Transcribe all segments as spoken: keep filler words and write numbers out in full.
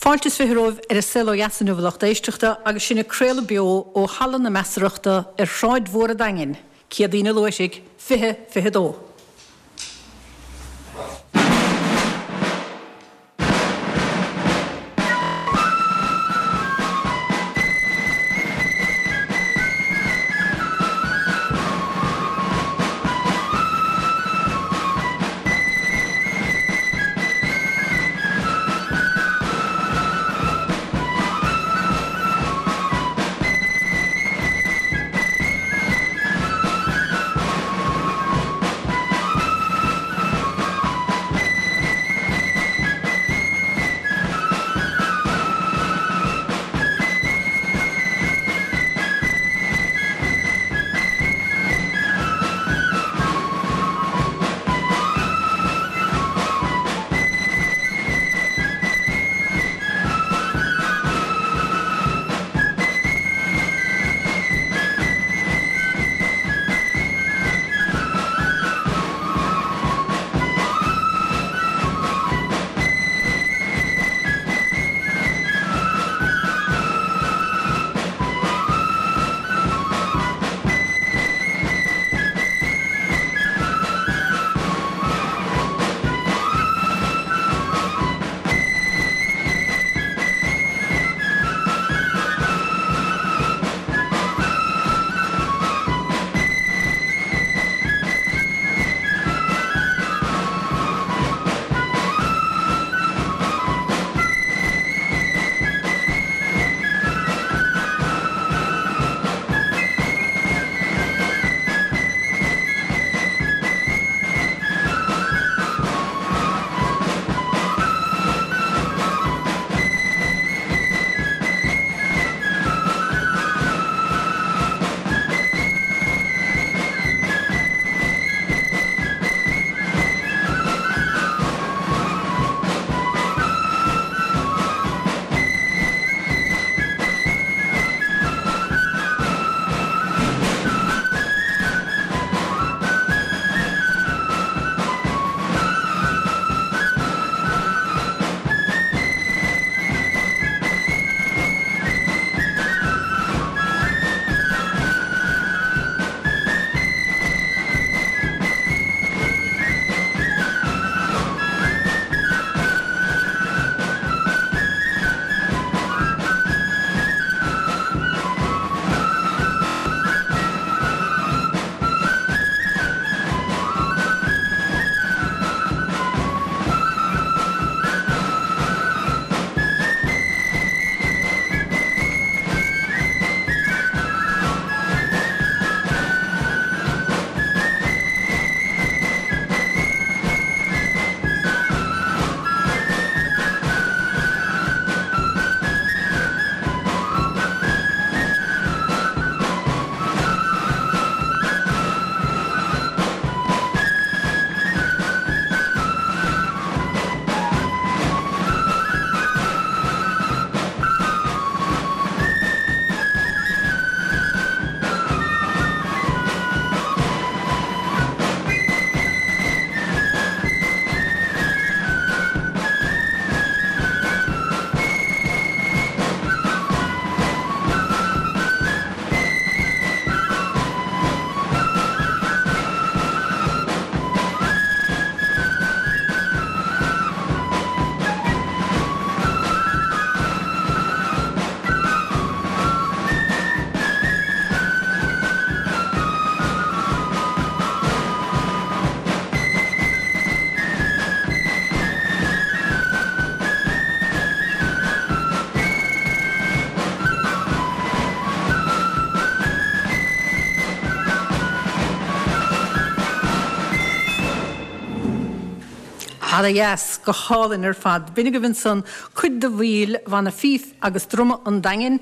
Fáilte is fiche romhaibh ar An Saol Ó Dheas inniu a lucht éisteachta agus sinn ag craoladh beo ó Halla na Measarachta ar Shráid Mhór an Daingin, Céadaoin an Luaithrigh, fiche fiche dó. Ana dheas, go hálainn ar fad. B'in agaibh ansan cuid de bhaill Bhanna Fíf agus Druma an Daingin,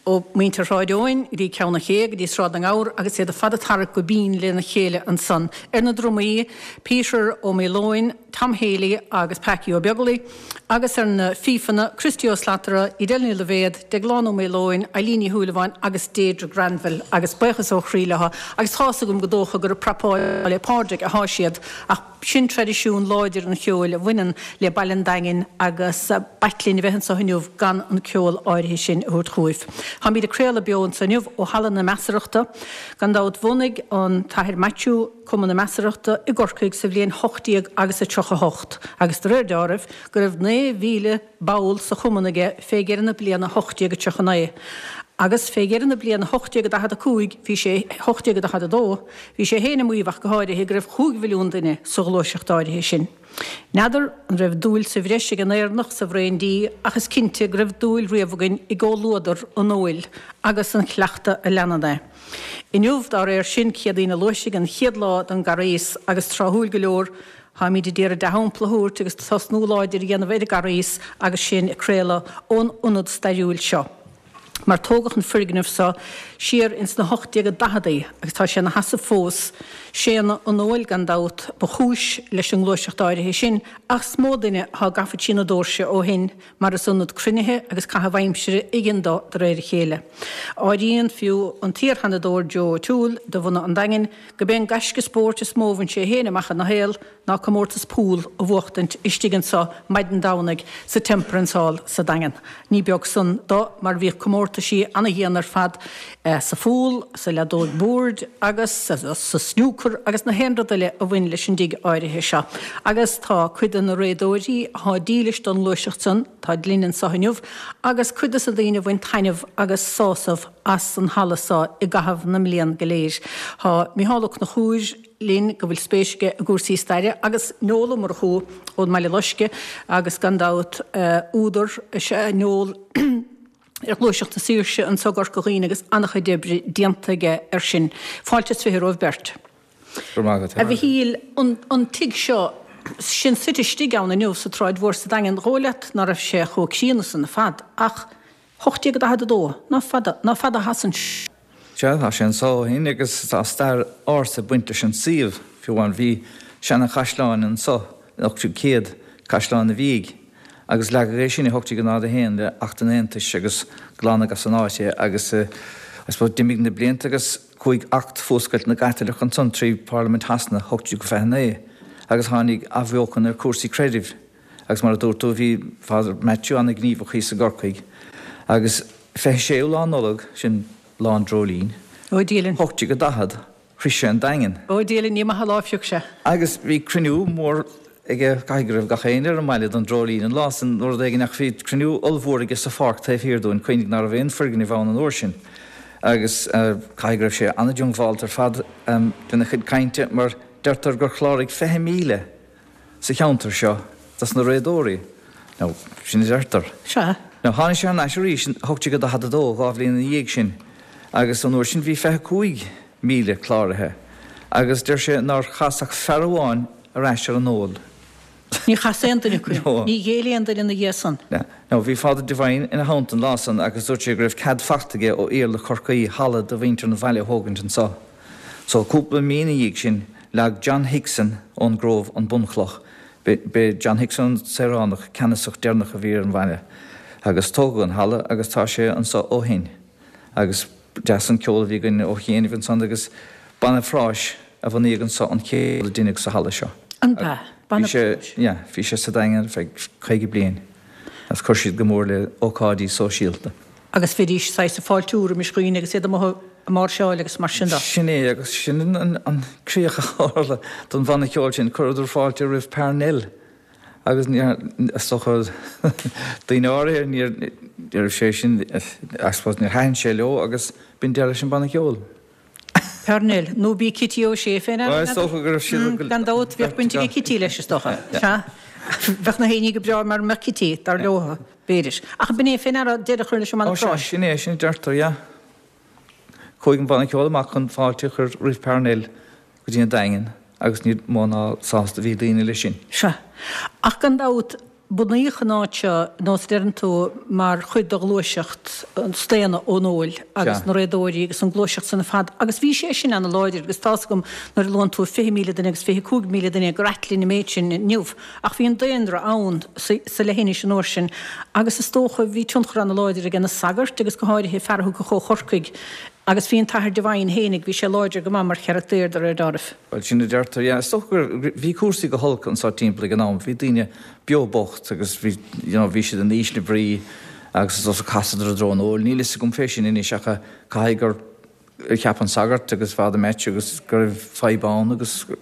Ó mhuintir Shráid Eoin go dtí Ceann an Ché go dtí Sráid na nGabhar agus iad ar fad ag tarrac go binn lena chéile ansan. Ar na drumaí, Peter Ó Maoileoin, Tom Haley agus Packie Ó Beaglaoich agus ar na fífeanna, Christy Ó Slatara, Edel Ní Loibhéad, Deaglán Ó Maoileoin, Eileen Ní Shúilleabháin agus Deirdre Granville agus buíochas ó chroí leo agus tá's agam go dócha gur ag prapáil le Pádraig athá siad ach Sin traidisiún láidir an cheoil a bhaineann le baile an Daingin agus b'ait linn a bheith anseo inniu gan an ceol áirithe sin a thabhairt chugaibh. Táimid ag craoladh beo anseo inniu ó Halla na Measarachta. Gan dabht bhunaigh an tAthair Maitiú Cumann na Measarachta i gCorcaigh sa bhliain hocht déag agus a tríocha hocht agus de réir deáraimh go raibh naoi mhíle ball sa chumann aige fé dheireadh na bliana hocht déag a tríocha naoi. Agus fé dheireadh na bliana hocht déag a daichead a cúig, bhí sé, hocht déag a daichead a dó, bhí sé féin ag maíomh ach go háirithe go raibh chúig mhilliún duine sa ghluaiseacht áirithe sin. N'fheadar an raibh dúil sa bhreis ag an Éireannach sa bhraon dí ach is cinnte go raibh dúil riamh againn i gcomhluadar an óil agus an chleachtadh a leanann é. Inniu, dá réir sin, Céadaoine Luaithsigh an chéad lá den gCarghas agus tráthúil go leor, Táimid ag iarraidh dea-shampla a thabhairt agus tosnú láidir a dhéanamh ar an gCarghas agus sinn ag craoladh ón ionad stairiúil seo. Mar tógadh an foirgneamh seo siar ins na hocht déag daicheadaí agus tá sé ina sheasamh fós. Séanadh an óil gan dabht ba chúis leis an ngluaiseacht áirithe sin ach is mó duine athá gafa trí na dóirse ó shin mar is ionad cruinnithe agus caitheamh aimsire a dhein dó de réir a chéile. Áiríonn fiú an t-iar-Sheanadóir Joe O'Toole de bhunadh an Daingin go b'é an gaisce spóirt is mó a bhain sé féin amach ina shaol ná comórtas pool a bhuachtaint istigh anso maidin Domhnaigh sa Temperance Hall sa Daingean. Ní beag san do mar bhíodh comórtaisí ana-dhian ar fad sa phúl, sa leadóig boird agus sa snúcar agus na haon rud eile a bhain leis an dtigh áirithe seo. Agus tá cuid de na réadóirí athá dílis don ngluaiseacht san, táid linn anso inniu, agus cuid de na daoine a bhain taitneamh agus sásamh as an halla so i gcaitheamh na mblian go léir. Tá Micheál Ó Conchúir linn go bhfuil spéis aige i gcúrsaí staire agus Noel Ó Murchú ón mBaile Loiscthe agus gan dabht údar is ea Noel ar Ghluaiseacht na Saoirse anso i gCorca Dhuibhne agus an-chuid oibre déanta aige air sin. Fáilte is fiche romhaibh beirt. Go raibh maith agat. A Mhichíl, an tigh seo, sinn suite istigh ann inniu sa tSráid Mhór sa Daingean, dhóigh leat ná raibh sé chomh críonna san ar fad ach hocht déag daichead a dó, ná fada, ná fada a sheasann sé. Sea, tá sé anso ó shin agus tá stair ársa ag baint leis an suíomh, fiú amháin. Bhí seana-chaisleán anso in ocht déag céad, Caisleán an Mhídh, agus leagadh é sin i hocht déag náid a haon le Acht an Aontais agus glanadh as an áit é agus I suppose d'imigh na blianta agus chuaigh Acht Fuascailt na gCaitliceach ansan trí Pharlaimint Shasana hocht déag fiche naoi agus tháinig athbheochan ar chúrsaí creidimh agus mar a dúirt tú bhí Father Maitiú ana-ghníomhach thíos i gCorcaigh agus fiche séú lá Nollag, sin Lá an Dreoilín. Ó, Dia linn. Hocht déag daichead, shroich sé an Daingean. Ó, Dia linn, ní maith an lá a phioc sé. Agus bhí cruinniú mór aige, caithfidh go raibh gach éinne ar an mbaile don Dreoilín an lá san nó rud éigin ach bhí cruinniú ollmhór aige sa pháirc taobh thiar dúinn, cuimhnigh ná raibh aon foirgneamh ann an uair sin agus caithfidh go raibh sé an-diongbháilte ar fad lena chuid cainte mar deirtear gur chláraigh fiche míle sa cheantar seo dos na réadóirí. Now, sin a deirtear. Sea. Now, tháinig sé thar n-ais arís in hocht déag daichead a dó, dhá bhliain ina dhiaidh sin, agus an uair sin bhí fiche cúig míle cláraithe, agus deir sé nár chas ach fear amháin ar ais ar an ól. Ní chas aon duine acu. No. Ní ghéill aon duine ina dhiaidh san. Now, bhí Father Devine ina theannta an lá san agus dúirt sé go raibh cead fachta aige ó Iarla Chorcaí halla do mhuintir an bhaile a thógaint anso. So, cúpla mí ina dhiaidh sin, leag John Hickson ón gCróibh an bunchloch. B'é John Hickson an saoránach ceannasach deireanach a bhí ar an bhaile. Agus tógadh an halla agus tá sé anso ó shin. Agus deas an ceol a bhí againn ó chianaibh ansan agus Banna Phráis a bunaíodh anso an chéad a deineadh sa halla seo. An b'ea? Banna Bhí sé, Phráis? yeah, bhí sé sa Daingean ar feadh caoga bliain agus chuir siad go mór le ócáidí sóisialta. Agus bhídís saghas ag fáiltiú roimis dhaoine agus iad amuigh ag máirseáil agus mar sin de. Sin é, agus sin an críoch a tharla don bhanna ceoil sin, chuireadar fáilte roimh Parnell agus níor, is dócha, daoine áirithe, níor, ní raibh sé sin, I suppose, níor thaitin sé leo agus b'in deireadh leis an banna ceoil. Parnell, nó b'í Kitty O'Shea féin Bhuel, is dócha go raibh siad. Gan dabht, bheadh baint ag Kitty leis, is dócha. Sea. Bheadh na héinní go breá mara mbeadh Kitty, dar leo, b'fhéidir. Ach b'in é féin a deireadh a chur leis an mbanna Ó sea, práis. sin é, sin a deirtear, yeah. Chuaigh an banna ceoil amach chun fáilte a chur roimh Parnell go dtí an Daingean agus ní mó ná sásta a bhí daoine leis sin. Sea. Ach gan dabht, Bunaíodh an áit seo, nós a deireann tú, mar chuid de ghluaiseacht an staonadh ón óil agus na réadóirí agus an ghluaiseacht san ar fad agus bhí sé sin ana-láidir agus tá's agam nuair a luann tú fiche míle duine agus fiche cúig míle duine gur ait linn an méid sin inniu ach bhí an daonra ann sa leithinis an uair sin agus is dócha bhí tionchar ana-láidir ag na sagairt agus go háirithe fear a thiocfadh ó Chorcaigh Agus bhí an tAthair Devine fhéinig, bhí sé láidir go maith mar charachtar de réir dealraimh. Bhuel, sin a deirtear, yeah. Is dócha go bhí cúrsaí go holc anso timpeall ag an am. Bhí daoine beo bocht agus bhí, you know, bhí siad in ísle brí agus is dócha chasadar i dtreo an óil. Níl fhios agam fé sin anois ach caithfidh gur cheap an sagart agus Father Maitiú agus go raibh fadhb ann agus go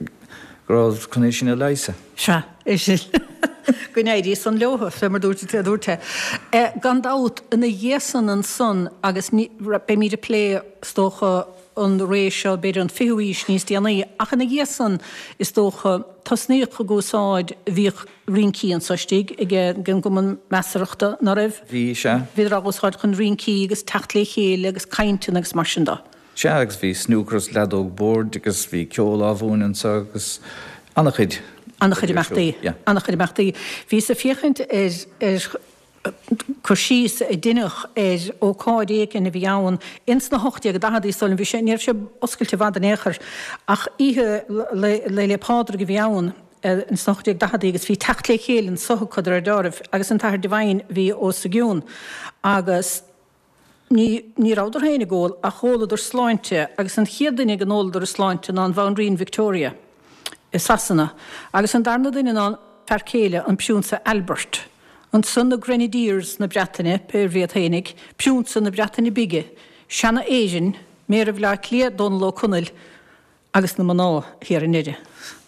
raibh chun é sin a leigheasadh. Sea, é sin. Go n-éirí san leo, fé mar dúirt tú, dúirt é. Gan dabht, ina dhiaidh san ansan, agus ní, beimid ag plé, is dócha, an ré seo, b'fhéidir an fichiú aois níos déanaí, ach ina dhiaidh san, is dócha, tosnaíodh ag úsáid, bhíodh rincí anso istigh ag an gCumann Measarthachta, ná raibh? Bhí, sea. Bhíodar á úsáid chun rincí agus teacht le chéile agus cainteanna agus mar sin de. Sea, agus bhí snúcar is leadóg boird agus bhí ceol á mhúineadh anso agus an-chuid. An-chuid imeachtaí. An-chuid imeachtaí. Bhíos ag féachaint ar ar cur síos a deineadh ar ócáid éigin a bhí ann ins na hocht déag daicheadaí is dóigh liom, bhí sé, ní raibh sé oscailte i bhfad in aon chor, ach oíche Lae 'le Pádraig a bhí ann ins na hocht déag daicheadaí agus bhí teacht le chéile anso acu de réir dealraimh agus an tAthair Devine a bhí os a gcionn agus Ní, ní rabhadar féin ag ól, ach dh'óladar sláinte, agus an chéad duine go n-óladar a sláinte ná an Bhanríon Victoria i Sasana, agus an darna duine ná an fear céile, an Priúnsa Albert. Ansan na Grenadiers na Breataine, pé ar bith iad fhéinig, Priúnsa na Breataine Bige, Seanadh Éireann, Méara Bhaile Átha Cliath, Dónall Ó Conaill, agus na mná thiar i ndeireadh.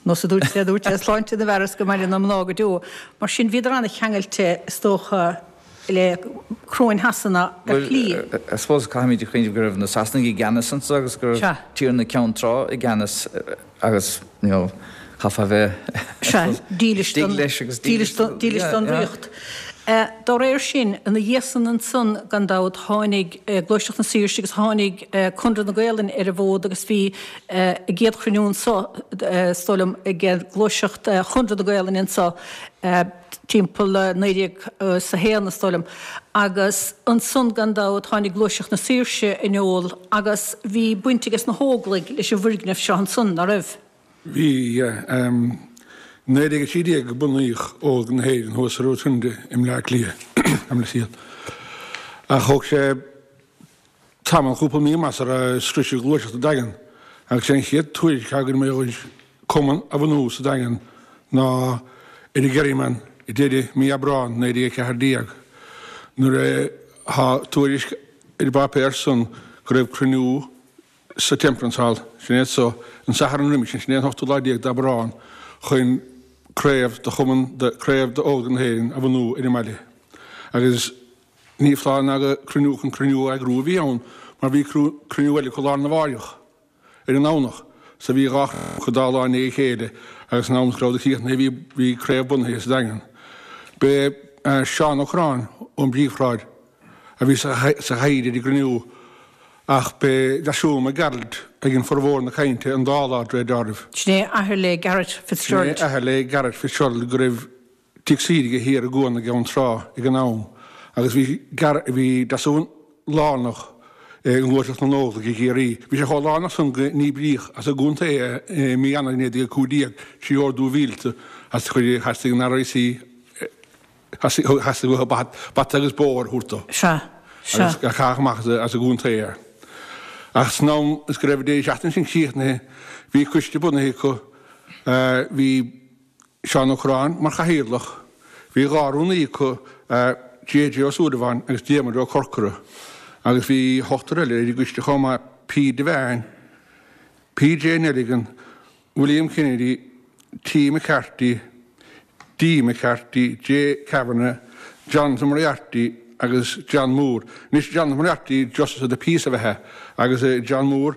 Nós a dúirt sé, dúirt sé, sláinte na bhfear is go maire na mná go deo. Mar sin, bhíodar an-cheangailte, is dócha, le coróin Shasana ar shlí. Bhuel, I suppose caithfimid a chuimhneamh go raibh na Sasanaigh i gceannas anso agus go raibh Tiarna Ceann Trá i gceannas agus, you know, chaithfeá a bheith, Sea, dílis don, dílis don, dílis don ríocht. Dá réir sin, ina dhiaidh san ansan, gan dabht, tháinig Gluaiseacht na Saoirse agus tháinig Conradh na Gaelainne ar an bhfód agus bhí a gcéad chruinniú anso, is dóigh liom, ag Gluaiseacht Chonradh na Gaelainne anso timpeall naoi déag is a haon, is dóigh liom. Agus ansan, gan dabht, tháinig Gluaiseacht na Saoirse in iúl agus bhí baint aige sna hÓglaigh leis an bhfoirgneamh seo ansan, ná raibh? Bhí, yeah. Naoi déag a trí déag a bunaíodh Óglaigh na hÉireann thuas sa Rotunda i mBleá Cliath, ach thóg sé tamall, cúpla mí amach sara sroiseadh gluaiseacht an Daingean agus sé an chéad tuairisc atá againn mar gheall ar cumann a bhunú sa Daingean ná ar an Kerryman i deireadh mí Aibreán naoi déag a ceathair déag nuair a tá tuairisc ar an bpáipéar san go raibh cruinniú sa Temperance Hall, sin é so, an Satharn roimis sin, sin é an hochtú lá déag d'Aibreán, chun craobh de chumann de, craobh d'Óglaigh na hÉireann a bhunú ar an mbaile. Agus ní foláir ná gur cruinniú chun cruinniú a eagrú a bhí ann, mar bhí cruinniú eile acu lá arna mháireach, ar an nDomhnach, so bhí dhá chruinniú acu dá lá i ndiaidh a chéile agus san am is go rabhadar críochnaithe bhí, bhí craobh bunaithe sa Daingean. B'é Seán Ó Corráin ón bPríomhshráid a bhí sa chathaoir ar an gcruinniú ach b'é Deasún Mac Gearailt a dhein formhór na cainte an dá lá, de réir dealraimh. Sin é athair le Garret Fitzgerald. Sin é athair le Garret Fitzgerald go raibh tigh saoire aige thiar i gCuan na gCeann Trá ag an am agus bhí bhí Deasún lárnach i ngluaiseacht na nÓglach i gCiarraí. Bhí sé chomh lárnach san go ndíbríodh as an gcontae é i mí Eanáir naoi déag a cúig déag trí ordú mhíleata as chuir theastaigh an RIC Theastaigh uathu bata agus bóthar a thabhairt dó. Sea. Sea. Agus caitheadh amach as an gcontae é. Ach san am is go raibh an deireadh seachtaine sin críochnaithe, bhí coiste bunaithe acu. Bhí Seán Ó Corráin mar chathaoirleach. Bhí dhá rúnaí acu, J.J. Ó Súilleabháin agus Diarmuid Ó Corcora. Agus bhí ochtar eile ar an gcoiste chomh maith, P. Devane, P.J. Nelligan, William Kennedy, T. McCarthy, D. McCarthy, J. Kavanagh, Jonathan Moriarty agus John Moore. Anois Jonathan Moriarty, Justice of the Peace ab ea é agus John Moore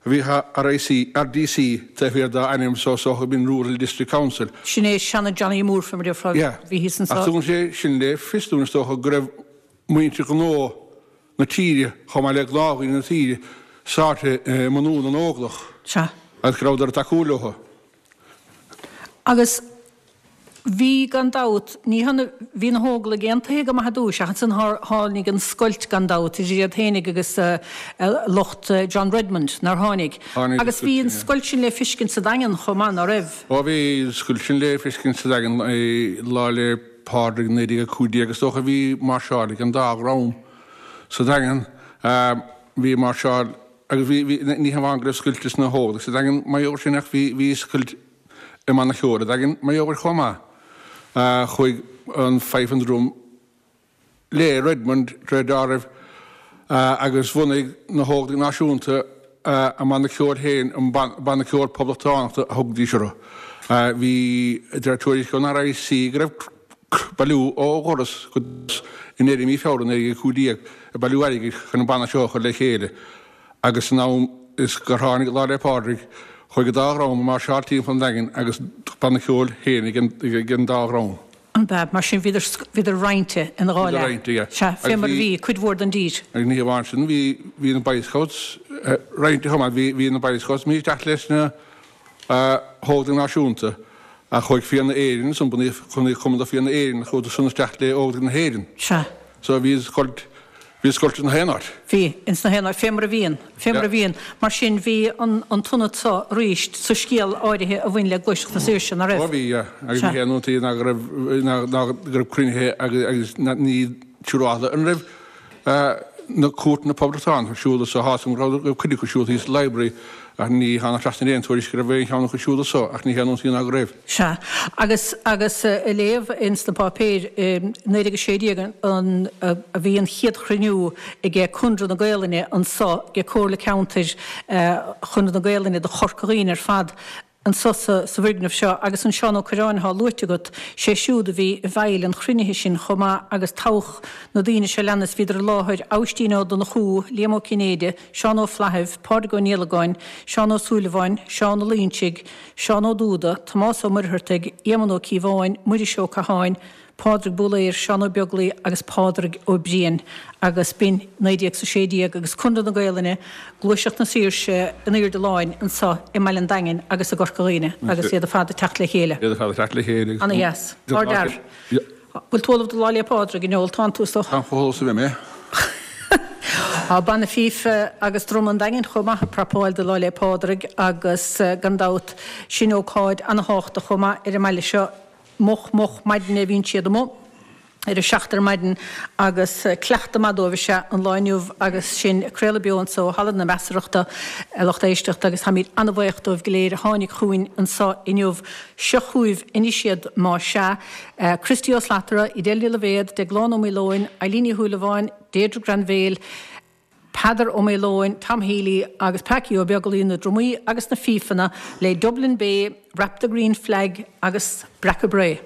a bhí RIC, RDC taobh thiar dá ainm so is dócha b'in Rural District Council. Sin é seana Johnny Moore fé mar a déarfá Yeah. bhí thíos anso. Ach tugann sé sin le fios dúinn is dócha go raibh muintir ghnó na tíre chomh maith le gnáthdhaoine na tíre sáite i mbunú na nÓglach Sea. agus go rabhadar ag tacú leo. Agus Bhí gan dabht, ní hionadh, bhí na hÓglaigh aontaithe go maith ar dtúis ach ansan tháinig an scoilt gan dabht idir iad fhéinig agus lucht John Redmond, nár tháinig? Tháinig an Agus bhí scoilt an sin, yeah. scoilt sin le fiscint sa Daingean chomh maith, ná raibh? Ó bhí an scoilt sin le fiscint sa Daingean Lá 'le Pádraig naoi déag a cúig déag is dócha, bhí máirseáil ag an dá dhream sa Daingean. Bhí máirseáil agus bhí, bhí, ní hamháin go raibh scoilt sna hÓglaigh sa Daingean mar gheall air sin ach bhí, bhí scoilt i mbanna ceoil an Daingin mar gheall air chomh maith. Chuaigh an Fife and Drum le Redmond de réir dealraimh agus bhunaigh na hÓglaigh Náisiúnta a mbanna ceoil féin, an Banna Ceoil Poblachtánach a thugaidís orthu. Bhí, de réir tuairisc ón RIC, go raibh bailiú ó dhoras go doras i ndeireadh mí Feabhra naoi déag a cúig déag ag bailiú airgid chun an banna seo a chur le chéile agus san am is gur tháinig Lá 'le Pádraig Chuaigh an dá dhream ag máirseáil timpeall an Daingin agus banna ceoil féin ag an dá dhream. An b'ea? Mar sin bhíodar, bhíodar roinnte ina dhá Bhíodar leath. roinnte, yeah. Sea, fé Agus mar a bhí, bhí cuid mhór den dtír. agus ní hamháin sin, bhí, bhí na Boy Scouts roinnte chomh maith. Bhí, bhí na Boy Scouts imithe isteach leis na hÓglaigh Náisiúnta ach chuaigh Fianna Éireann, san bunaíodh, bunaíodh Cumann do Fianna Éireann, chuadar san isteach le Óglaigh na hÉireann. Sea. So bhí scoilt, Bhí scoilt ins na haon áit. Bhí, ins na haon áit, fé mar a bhíonn, fé mar a bhíonn. Mar sin, bhí an an t-ionad so arís sa scéal áirithe a bhain le Gluaiseacht na Saoirse, ná raibh? Ó bhí, yeah. Agus ní haon iontas ná go raibh, ná ná go raibh cruinnithe agus agus ní siúráilte an raibh na cuairteanna poblachtánach ar siúl anso. Tá a fhios agam go raibh cuid acu ar siúl thíos sa library ach ní tháinig trasna ar aon tuairisc go raibh aon cheann acu ar siúl anso ach ní haon iontas ná go raibh. Sea. Agus, agus ag léamh ins na páipéir, i naoi déag a sé déag an, a bhí an chéad chruinniú aige Conradh na Gaelainne anso, aige Comhairle Ceantair Chonradh na Gaelainne do Chorca Dhuibhne ar fad anso sa, sa bhfoirgneamh seo. Agus an Seán Ó Cuirreáin athá luaite agat, sé siúd a bhí i bhfeighil an chruinnithe sin chomh maith agus toghadh na daoine seo leanas, bhíodar i láthair, Aibhistín Ó Donnchú, Liam Ó Cinnéide, Seán Ó Flaithimh, Pádraig Ó Niallagáin, Seán Ó Súilleabháin, Seán Ó Loingsigh, Seán Ó Dúda, Tomás Ó Muircheartaigh, Éamonn Ó Cíobháin, Muiris Ó Catháin, Pádraig Búlaer, Seán Ó Beaglaoi agus Pádraig Ó Briain agus b'in naoi déag 's a sé déag agus Conradh na Gaelainne, Gluaiseacht na Saoirse in airde láin anso i mBaile an Daingin agus i gCorca Dhuibhne agus iad ar fad ag teacht le chéile. Iad ar fad ag teacht le chéile agus. Ana dheas. Ardfhear. Bhfuil tú ullamh do Lá 'le Pádraig, a Noel? Tánn tú is dócha. Táim chomh hullamh is a bheidh mé. Tá Banna Fífe agus Druma an Daingin chomh maith ag prapáil do Lá 'le Pádraig agus gan dabht sin ócáid ana-thábhachtach chomh maith ar an mbaile seo. Moch moch maidine a bhíonn siad amuigh, ar a seacht ar maidin, agus cleachtadh maith dóibh is ea an lá inniu agus sinn ag craoladh beo anso ó Halla na Measarachta, a lucht éisteachta, agus táimid an-bhaoch dóibh go léir a tháinig chugainn anso inniu. Seo chugaibh anois iad, má sea, Christy Ó Slatara, Edel Ní Loibhéad, Deaglán Ó Maoileoin, Eileen Ní Shúilleabháin, Deirdre Granville, Peadar Ó Maoileoin, Tom Healy agus Packie Ó Beaglaoi, na drumaí agus na fífeanna le Dublin Bay, Wrap the Green Flag agus Breacadh Bré.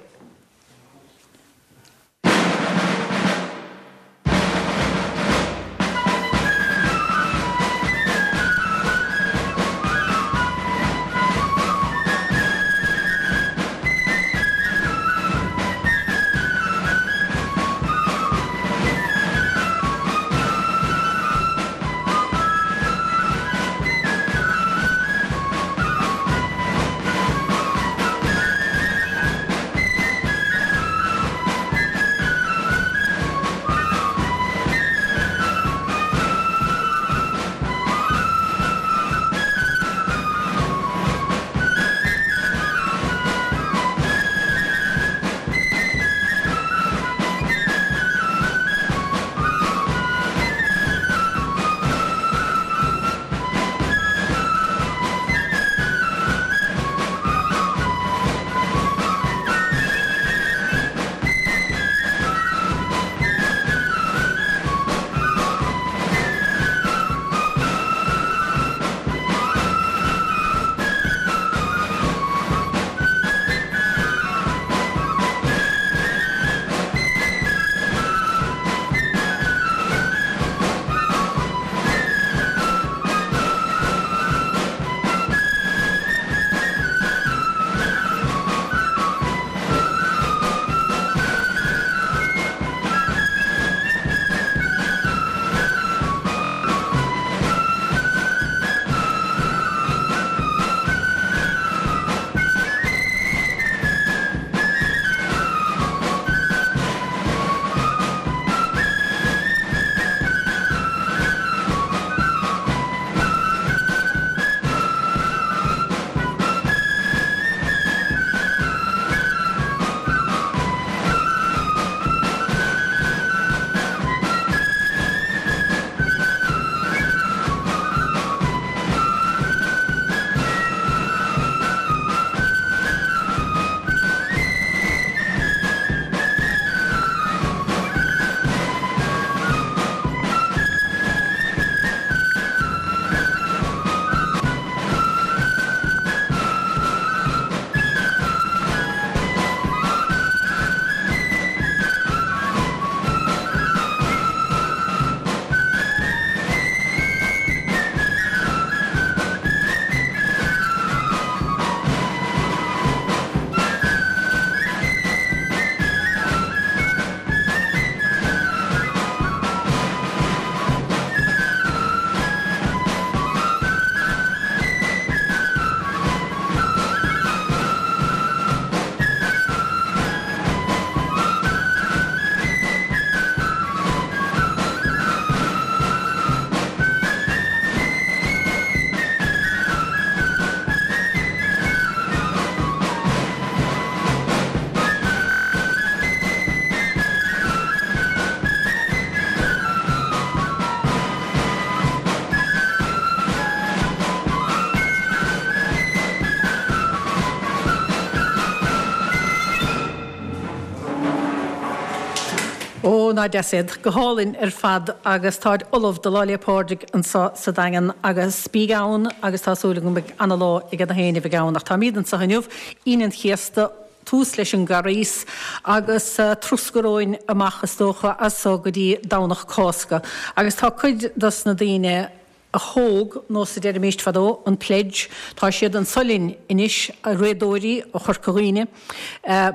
ná deas iad. Go hálainn ar fad agus táid ullamh do Lá 'le Pádraig anseo sa Daingean agus bíg ann agus tá súil agam go mbeidh ana-lá ag na héinne a bheidh ann. Ach táimid anseo inniu, Aoine an Chéasta, tús leis an gCarghas agus troscadh romhainn amach is dócha as so go dtí Domhnach Cásca. Agus tá cuid dos na daoine a thóg, nós a deirimíst fadó, an pledge. Tá siad anso linn anois, réadóirí ó Chorca Dhuibhne,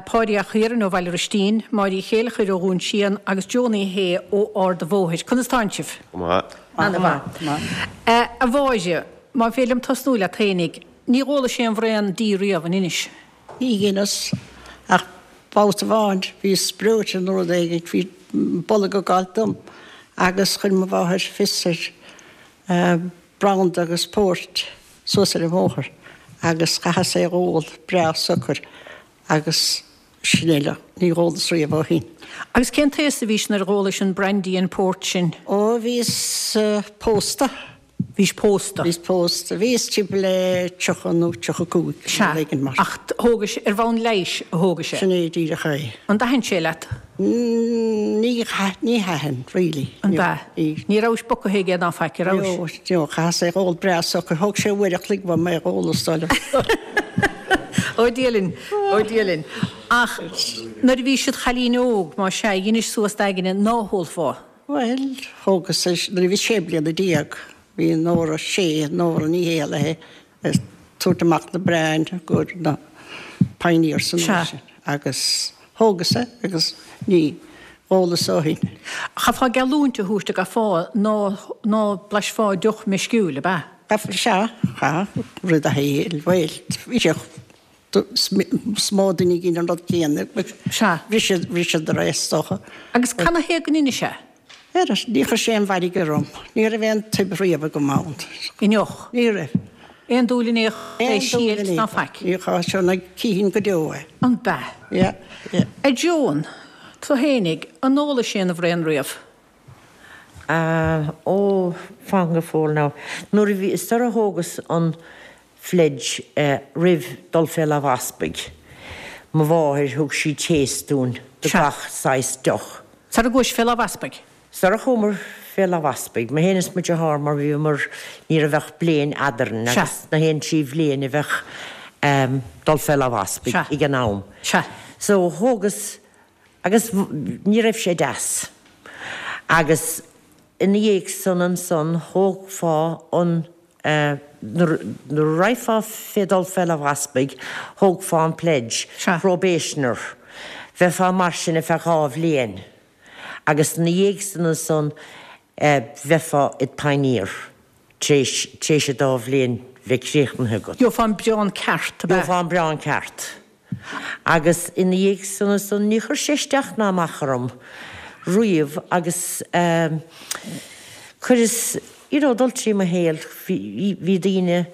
Páidí 'ac Chiaráin ó Bhaile Roistín, Máire Uí Chéilleachair ó Dhún Síon agus Joan Uí Shé ó Ard a' Bhóthair. Conas tánn sibh? Go maith. Ana-mhaith. A Mháire, má féidir liom tosnú leat fhéinig, ní dh'ólais aon bhraon dí riamh, an inis? Ní dheineas, ach babhta amháin bhíos breoite nó rud éigin, bhí bolg ag gabháilt dom agus chuir mo mháthair fios ar branda agus port suas ar an bhóthar agus chaitheas é dh'ól breá socair agus sin uile, ní dh'ólas riamh ó shin. Agus cén t-aos a bhís nuair a dh'ólais an brandy and port sin? Ó, bhíos pósta. Bhís pósta. Bhíos pósta. Bhíos timpeall le tríocha nó tríocha cúig, Sea, rud éigin mar sin. Ach thógais, ar bhonn leighis a thógais é? Sin é díreach é. An dtaithin sé leat? Ní, ní thaitin, really. An ea? Ní. Ní rabhais bogtha aige ná faic, an rabhais? No, no, chaitheas é dh'ól breá socair. Thóg sé uair a chloig uaim é dh'ól, is dóigh liom. Ó Dia linn, ó Dia linn. Ach nuair a bhís id chailín óg, más ea, dheinis suas d'aigne ná hólfá? Bhuel, thógas é, nuair a bhí sé bliana déag, bhí Nóra Sé, Nóra Ní Héalaithe, ag tabhairt amach na brain go na Pioneers san uair sin agus thógas é agus ní dh'ólas ó shin. Chaithfeá geallúint a thabhairt a gcaithfeá ná ná blaisfeá deoch meisciúil, ab ea? Sea, chaith, rud a shaoil, bhuel, bhí sé Is mó duine a dhein an rud céanna. Sea. Bhriseadar é, is dócha. Agus canathaobh go ndeinis é? Ar, ní chuir sé aon mhairg orm. Ní raibh aon toib riamh agam ann. I ndeoch? Ní raibh. Aon dúil in aon chor, é Aon dúil sílt in ná aon chor. faic? Ní chaith sé na cinn go deo é. An b'ea? Yeah, yeah. A Joan, tú fhéinig, an ólais aon bhraon riamh? Ah, ó, fan go fóill now. Nuair a bhí, sar a thógas an phledge roimh dul fé lámh easpaig, mo mháthair, thug sí taste dúinn de Sea. gach saghas deoch. Sar a gcuais fé lámh easpaig? Sar a chuamar fé lámh easpaig, mé féin is mo dheartháir mar bhíomar, ní raibh ach bliain eadrainn Sea. agus na haon trí bhliain a bheadh dul fé lámh easpaig Sea. ag an am. Sea. So thógas, agus ní raibh sé deas. Agus ina dhiaidh san ansan thógfá an, nuair a raghfá fé dul fé lámh easpaig, thógfá an pledge, Sea. probationer, bheifeá mar sin ar feadh dhá bhliain. Agus ina dhiaidh san ansan bheifeá id pioneer tar éis, tar éis an dá bhliain bheith críochnaithe agat. Gheofá an braon ceart, ab ea? Gheofá an braon ceart. Agus ina dhiaidh san ansan ní chuir sé isteach ná amach orm riamh agus chuireas, you know, dul trí mo shaol, bhí, bhí daoine,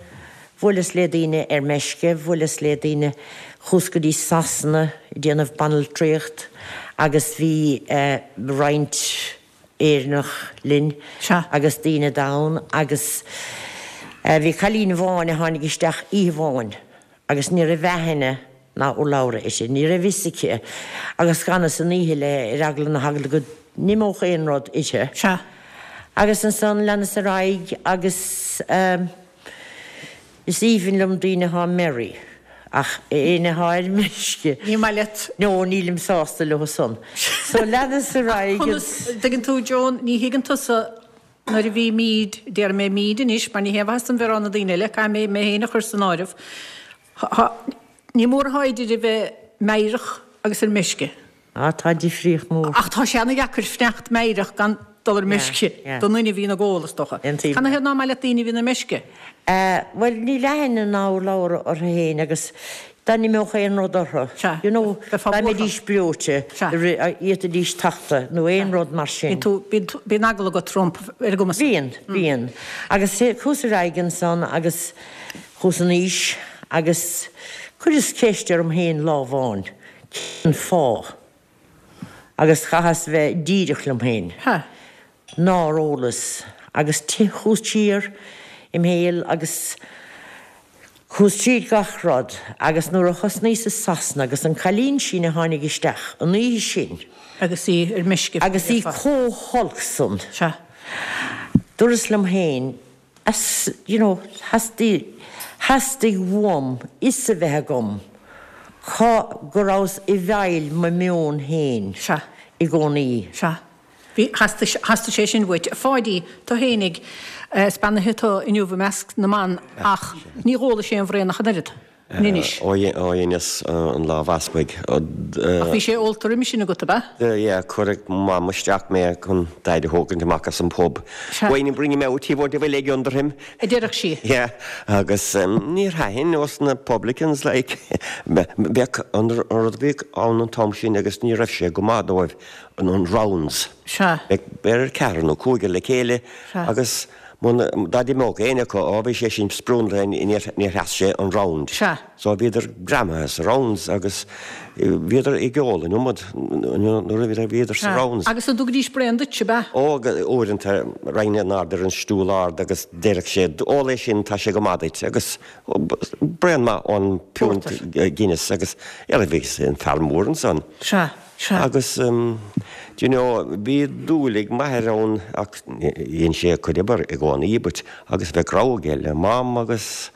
bhuaileas le daoine ar meisce, bhuaileas le daoine, chuas go dtí Sasana ag déanamh banaltraíocht agus bhí roinnt Éireannach linn Sea. agus daoine donn agus bhí cailín amháin a tháinig isteach oíche amháin agus ní raibh aithne ná urlabhra aici, ní raibh fhios aici agus d'fhanas an oíche léi ar eagla na heagla go n-imeodh aon rud uirthi. Sea. Agus ansan leanas ar aghaidh agus is aoibhinn liom daoine atá merry ach éinne atá ar meisce. Ní maith leat. No, nílim sásta leo san. So leanas ar aghaidh Conas, dtuigeann tú Joan, ní thuigeann tusa nuair a bhímid, déarfaidh mé 'míd' anois mar ní haon mhaitheas dom bheith ag rá na daoine eile, caithfidh mé mé féin a chur san áireamh, ní mór atá idir a bheith meidhreach agus ar meisce. Ah, tá difríocht mór. Ach tá sé ana-dheacair fanacht meidhreach gan dul ar meisce Yeah, don duine a bhíonn ag ól, is dócha. Aontaím. Canathaobh ná maith leat daoine a bhíonn ar meisce? Eh, bhuel, níl aithne ná urlabhra orthu féin agus dá n-imeodh aon rud orthu, Sea, you know, bheifeá dá buartha. mbeidís breoite, Sea. d'fhéadfaidís tachtadh nó aon rud mar sin. Bíonn tú, bíonn tú, bíonn eagla agat rompu ar an gcuma san. Bíonn, bíonn. Agus chuas ar aghaidh ansan agus chuas in aois agus chuireas ceist orm féin lá amháin, cén fáth? Agus chaitheas bheith díreach liom féin. Ha. Nár ólas. Agus chuas siar im shaol agus Chuas tríd gach rud agus nuair a thosnaíos i Sasana agus an cailín sin a tháinig isteach an oíche sin. Agus í ar meisce. Agus í chomh holc san. Sea. Dúras liom féin, as, you know, theastaigh, theastaigh uaim fhios a bheith agam cá, go rabhas i bhfeighil mo mheon féin. Sea. I gcónaí. Sea. Bhí, theastaigh, theastaigh sé sin uait. A Pháidí, tú fhéinig, is beannaithe tú inniu i measc na mban ach ní dh'ólais aon bhraon ach an oiread, in Inis. Ó dheineas an Lámh Easpaig. Ach bhí sé ólta roimis sin agat, ab ea? Yeah, cuireadh Mam isteach mé chun Daid a thógaint amach as an bpub. Wayne, bring him out, he won't have a leg under him. A deireadh sí. Yeah, agus níor thaitin os na publicans, like, bheadh an rud a bhíodh ann an t-am sin agus ní raibh sé go maith dóibh, an rounds. Sea. Bheadh beirt, ceathrar nó cúigear le chéile Sea. agus muna, dá d'imeodh éinne acu, á bhí sé sin sprionlaithe, níor, níor sheas sé an round. Sea. So bhíodar greamaithe sa rounds agus bhíodar ag ól an iomad nuair a bhíodar, bhíodar sa Sea. rounds. Agus an dtugaidís braon duit, ab ea? Ó, uaireanta raghainn in airde ar an stiúl ard agus déarfadh sé, ól é sin, tá sé go maith duit agus braon maith ón bpiúnt Guinness agus ar bhí an fear mór ansan. Sea. Sea. Agus, do you know, bhí dúil ag m'athair ann ach dhein sé a chuid oibre i gcónaí but agus bheadh rogha aige le Mam agus,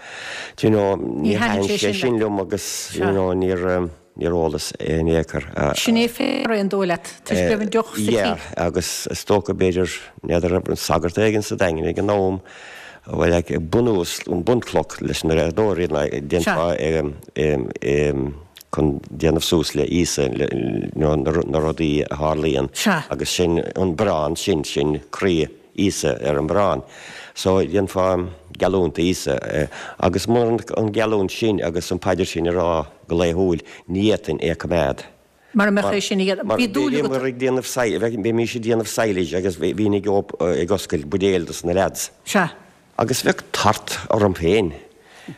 do you know, Ní níor thaitin thaitin sé sé sin sin leat. liom agus, you Sea. know, níor, níor ólas in aon chor. Sin é féin ar aon dóigh leat, toisc go raibh an deoch sa Yeah, tigh. agus is dócha b'fhéidir, n'fheadar an raibh sagart éigin sa Daingean ag an am, bhuel, like, bunús, an bunchloch leis na riadóirí, like, déanfá, Sea. em, em, chun déanamh suas le Íosa, nó na rudaí a tharlaíonn. Sea. Agus sin an barrán sin, sin croí Íosa ar an mbarrán. So dhéanfá geallúint d'Íosa. Agus mura an geallúint sin agus an paidir sin a rá go laethúil, ní fhéadfainn é a choimeád. Mara mbeadh é sin a dhéanamh. Bhí dúil agat. Bhíomar ag déanamh, bhímís ag déanamh silage agus bhínn ag oscailt buidéil dos na leaids. Sea. Agus bheadh tart orm féin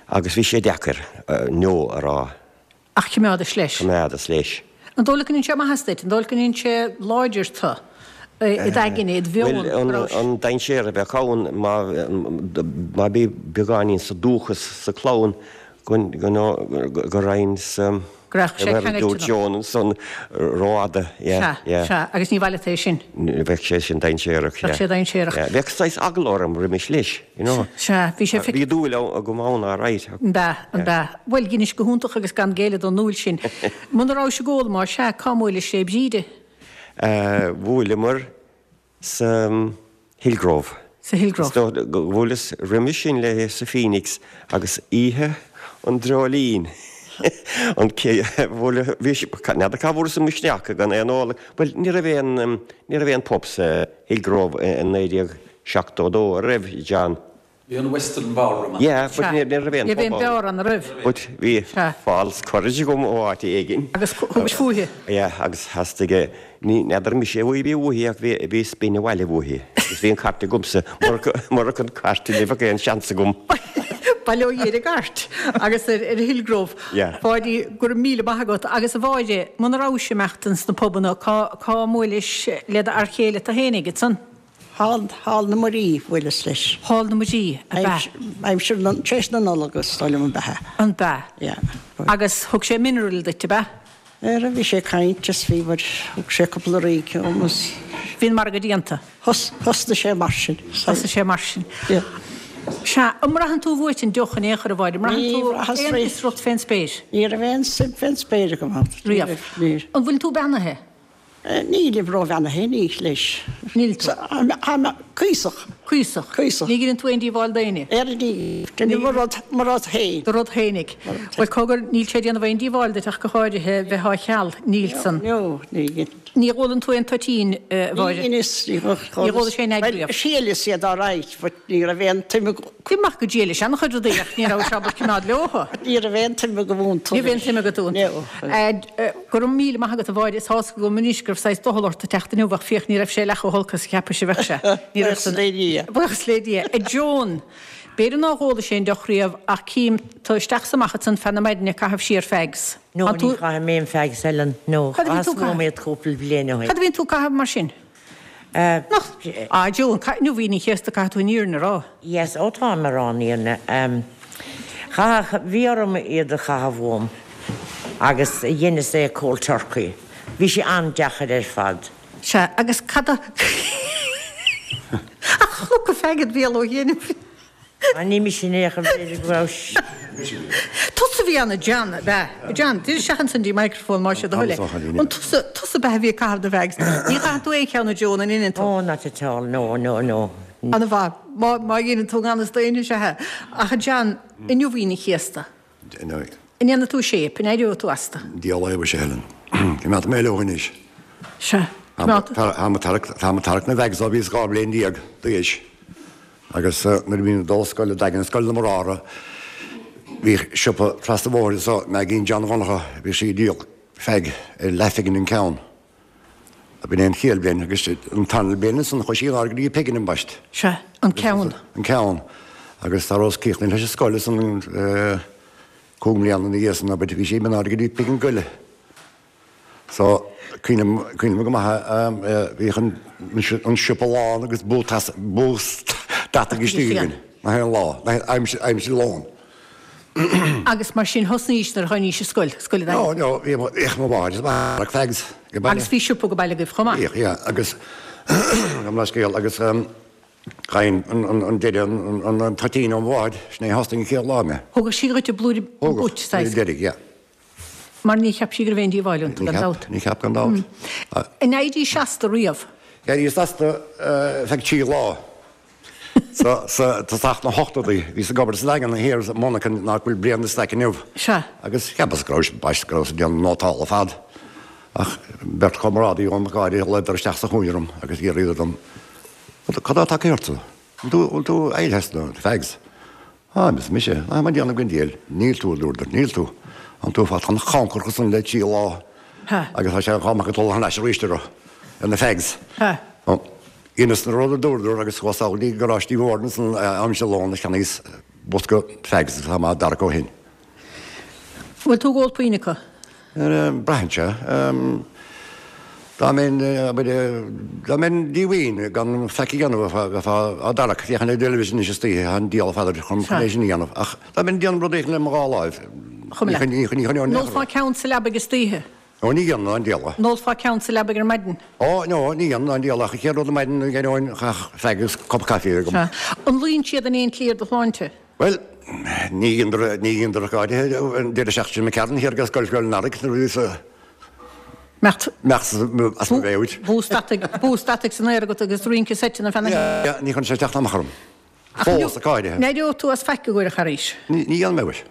agus bhí sé deacair no a rá. Ach choimeádais leis. Choimeádas leis. An dóigh leat go ndein sé maitheas duit? An dóigh leat go ndein sé láidir tú i d'aigne, i do mheon? Bhuel, an dainséar a bheadh ann má má bhí beagáinín sa dúchas sa chlann go go raghainn sa Go raibh sé Mar a ceangailte dúirt nó. Joan ansan rófhada, yeah, Sea, yeah. sea, agus ní mhaith leat é sin. Bheadh sé sin dainséarach, Bheadh sé dainséarach. Yeah, bheadh saghas eagla orm roimis leis, you know. Sea, bhí sé Bhí dúil agam ann, all right. An b'ea, an b'ea. Bhuel, dheinis go hiontach agus gan géilleadh don ndúil sin. Muna rabhais ag ól, más ea, cá mbuailis le Bríde? Eh, bhuaileamar sa Hillgrove. Sa Hillgrove. Is dóigh go bhuaileas roimis sin léi sa Phoenix agus oíche an dreoilín. An cé bhuaile bhí sí n'fheadar cá bhfuaireas an misneach gan aon ól. Bhuel ní raibh aon ní raibh aon pub sa Hillgrove i naoi déag seachtó dó an raibh John? Bhí an Western Ballroom ann. Yeah, but ní raibh aon Ní raibh aon pub ann. beár ann roimh. But bhí false courage agam ó áit éigin. Agus thugais fúithi. Yeah, agus theastaigh, ní n'fheadar mise a bhí uaithi ach bhí bhí spin abhaile uaithi. Agus bhí an cairt agamsa, murach an cairt ní bheadh aon seans agam. Bail ó Dhia ar an gcairt agus ar ar Hillgrove. Yeah. Pháidí, go raibh míle maith agat. Agus a Mháire, muna rabhais ag imeacht ins na pubanna, cá cá mbuailis le d'fhear chéile tú fhéinig, ansan? Hall, Hall na Muirí, bhuaileas leis. Hall na Muirí, ab ea? Aimsir, tar éis na Nollag is dóigh liom ab ea. An b'ea? Yeah. Agus thug sé mineral duit, ab ea? Ara, bhí sé ag caint is bhí muid, thug sé cúpla rince dhom is. Bhí an margadh déanta. Thosnaigh sé mar sin. Thosnaigh sé mar sin. Yeah. Sea, an mbraitheann tú uait an deoch in aon chor, a Mháire? An mbraitheann tú aon fhiosracht fén spéir? Ní raibh aon suim fén spéir agam ann. Riamh. Níor. An bhfuil tú beannaithe? Nílim róbheannaithe, ní leis. Níl tú. Tá mé cuíosach. Cuíosach. Cuíosach. Ní dheineann tú aon díobháil d'éinne? Ar ní, déanaim mo rud, mo rud féin. Do rud fhéinig. Bhuel, cogar, níl sé ag déanamh aon díobháil duit ach go háirithe bheith á cheal, níl san. No, ní dhein. Ní ólann tú aon toitín, a Mháire? Ní dheineas, ní Ní dh'ólais aon fhead riamh? Thriaileas iad all right, but ní raibh aon tsuim agam. Bhí maith go díol leis an-chuid rudaí ach ní raibh sé ábalta coimeád leo. Ní raibh aon tsuim agam iontu. Ní raibh aon tsuim agat iontu. No. Go raibh míle maith agat a Mháire, is tá's agam anois go raibh saghas doicheall ort a teacht inniu ach féach ní raibh sé leath chomh holc is a cheapais a bheadh sé. Ní raibh Buíochas le Dia. Buíochas le Dia. A Joan, b'fhéidir nár ólais aon deoch riamh ach cím tú isteach 's amach ansan feadh na maidine ag caitheamh siar fags. No, An ní tú- chaithim aon fags Helen, no. Cad a bhíonn Chaitheas tú ag caitheamh? nóiméad cúpla bliain ó shin. Cad a bhíonn tú ag caitheamh mar sin? Nach, ah Joan, nó Aoine an Chéasta caithfidh tú an fhírinne a rá. Yes, ó táim ag rá an fhírinne. Chaith, bhí orm iad a chaitheamh uaim agus dheineas é cold turkey. Bhí sé an-deacair ar fad. Sea, agus cad a. Ach chnocadh feaig id bhéal ó chianaibh. Ah, ní mise in aon chor, b'fhéidir go raibh. Tusa a bhí ann, a John, ab ea? A John, tar isteach ansan dtí microphone más é do thoil é. An tusa, tusa ab ea a bhí ag caitheamh na bhfags? Ní chaitheann tú aon cheann, a Joan, an ndeineann tú? Oh, not at all, no, no, no. An-mhaith. Má, má dheineann tú gan fhios d'éinne, sea. Ach a John, inniu Aoine an Chéasta. An ndéanfaidh tú shape, an éireoidh tú astu? Diabhal a fhios, a Helen. Coimeádfaidh mé leo anois. Sea. Tá mé ag tarrac na bhfags ó bhíos dhá bhliain déag d'aois. Agus nuair a bhínn ag dul scoile, Daingean, Scoil na mBráithre, bhíodh siopa trasna an bhóthair anso, Maigín John Dhonncha, bhíodh sí ag díol fag ar leathphingin an ceann. B'in é an chéad bhliain agus an tarna bliain ansan chuaigh sí in airde go dtí pingin ambaist. Sea, an ceann. An ceann. Agus tar rabhas críochnaithe leis an scoil ansan cúig mbliana ina dhiaidh san, abair, bhí sí imithe in airde go dtí pingin go leith. So, cuimhním, cuimhním go maith, bhíodh an, an siopa lán agus bús, bús deataigh istigh againn, nach aon lá, nach aimsir, aimsir lóin. Agus mar sin thosnaís nuair a tháinís i scoil, scoil an No, no, bhí, bhíodh mo mháthair is m'athair ag fags ag baile. Agus bhí siopa ag baile agaibh chomh maith? Bhíodh, yeah, agus, gabh mo leithscéal, agus gheibhinn an, an, an deireadh, an, an, an toitín ó mo mháthair, sin é a thosnaigh an chéad lá mé. Thugadh sí dhuit an blúire, an Thugadh, buit, saghas. blúire deiridh, yeah. Mar ní cheap sí go raibh aon díobháil iontu, gan dabht. Ní cheap, gan dabht. An éirís astu riamh? D'éiríos astu feadh trí lá. Sa tosach na hochtóidí, bhíos ag obair sa Daingean thiar sa monarcha nach bhfuil braon de staic inniu. Sea. Agus cheapas go raibh, baist, go rabhas ag déanamh nótála ar fad. Ach beirt chomrádaí dhom ag gáire, ghlaodar isteach sa chúinne orm agus d'fhiafraíodar dom, Cad atá tagtha ortsa? Bhfuil tú éirithe as na fags? Á, arsa mise, tá mé ag déanamh gan diail. Níl tú, a dúradar, níl tú. Tánn tú fachta an-chancarach ansan le trí lá agus tá sé dhá mbeadh ag dul thar n-ais arís orthu, ar na fags. Dheineas an rud a dúradar agus chuas sall go dtí garáistí mhór ansan aimsir lóin agus cheannaíos bosca fags agus tá mé á dtarrac ó shin. Bhfuil tú ag ól puinn acu? Braitheann sé. Dá mbeinn, abair, dá mbeinn díomhaoin gan faic a dhéanamh, bheifeá á dtarrac, féachaint ar an dteilifís anois istoíche, tá an diabhal ar fad chun é sin a dhéanamh. Ach dá mbeinn ag déanamh rud éigin le mo dhá láimh, ní choinneoinn An ólfá ceann sa leabaidh istoíche? Ó, ní dhéanfainn ná an diabhal. An ólfá ceann sa leabaidh ar maidin? Ó, no, ní dhéanfainn ná an diabhal, ach an chéad rud ar maidin, d'éireoinn, chaithfeadh fag agus cup caife a bheith agam. Sea. An luíonn siad in aon tslí ar do shláinte? Bhuel, ní dheineadar, ní dheineadar ach go háirithe an deireadh seachtaine sin imigh tharainn thiar ag Scoil Scoil an Earraigh nuair a bhíos a. Mbeadh. Mbeadh as mo mheabhair. Bús deataigh, bús deataigh san aer agat agus rince seite na feadh na. Yeah, ní chuireann sé teacht amach orm. Fós, go háirithe. An éireodh tú as faic i gcomhair an Charghais? Ní, ní dhéanfaidh mé, mhuis.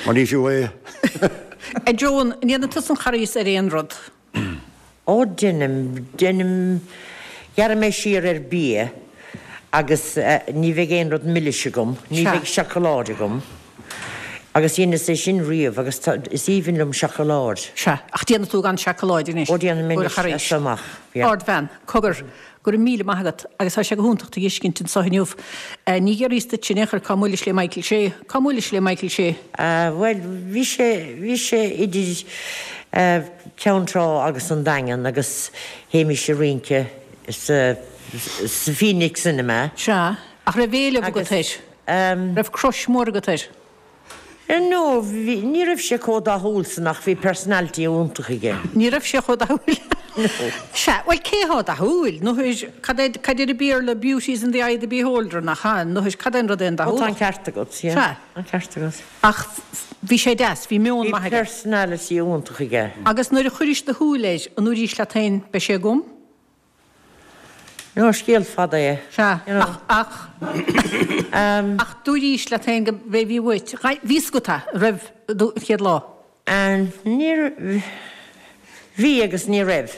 Mar ní fiú é. A Joan, an ndéanann tusa an Carghas ar aon rud? Ó, deinim, deinim, gearrfaidh mé siar ar bia agus ní bheidh aon rud milis agam, ní Sea. bheidh seacláid agam. Agus dheineas é sin riamh agus tá, is aoibhinn liom seacláid. Sea, ach déanfaidh tú gan seacláid anois. Ó, déanfaidh mé i gcomhair an anois, Charghais. as seo amach, yeah. Ardbhean, cogar, go raibh míle maith agat agus tá sé go hiontach tú a fheiscint anseo inniu. Ní dhéarfaíos duit in aon chor cá mbuailis le Michael Shea. Cá mbuailis le Michael Shea? Bhuel, bhí sé, bhí sé idir Ceann Trá agus an Daingean agus théimis ag rince sa, sa Phoenix Cinema. Sea, ach raibh éileamh agat air? Raibh crush mór agat air? No, bhí, ní raibh sé chomh dathúil san ach bhí personality iontach aige. Ní raibh sé chomh dathúil. No. Sea, bhuel cé thá dathúil? Nó cad é, cad deir an Béarla beauty is in the eye of the beholder, nach ea? Nó cad é an rud é an Ó tá an dathúlacht? ceart agat, yeah. Sea. An ceart agat. Ach bhí sé deas, bhí meon Bhí maith aige. personality iontach aige. Agus nuair a chuiris do shúil air, an ndúraís leat féin, beidh sé agam? No, scéal fada é. Sea, You know. ach, ach, ach dúraís leat féin go b'é a bhí uait. Bhí fhios agat é roimh an chéad lá. And níor, bhí agus ní raibh.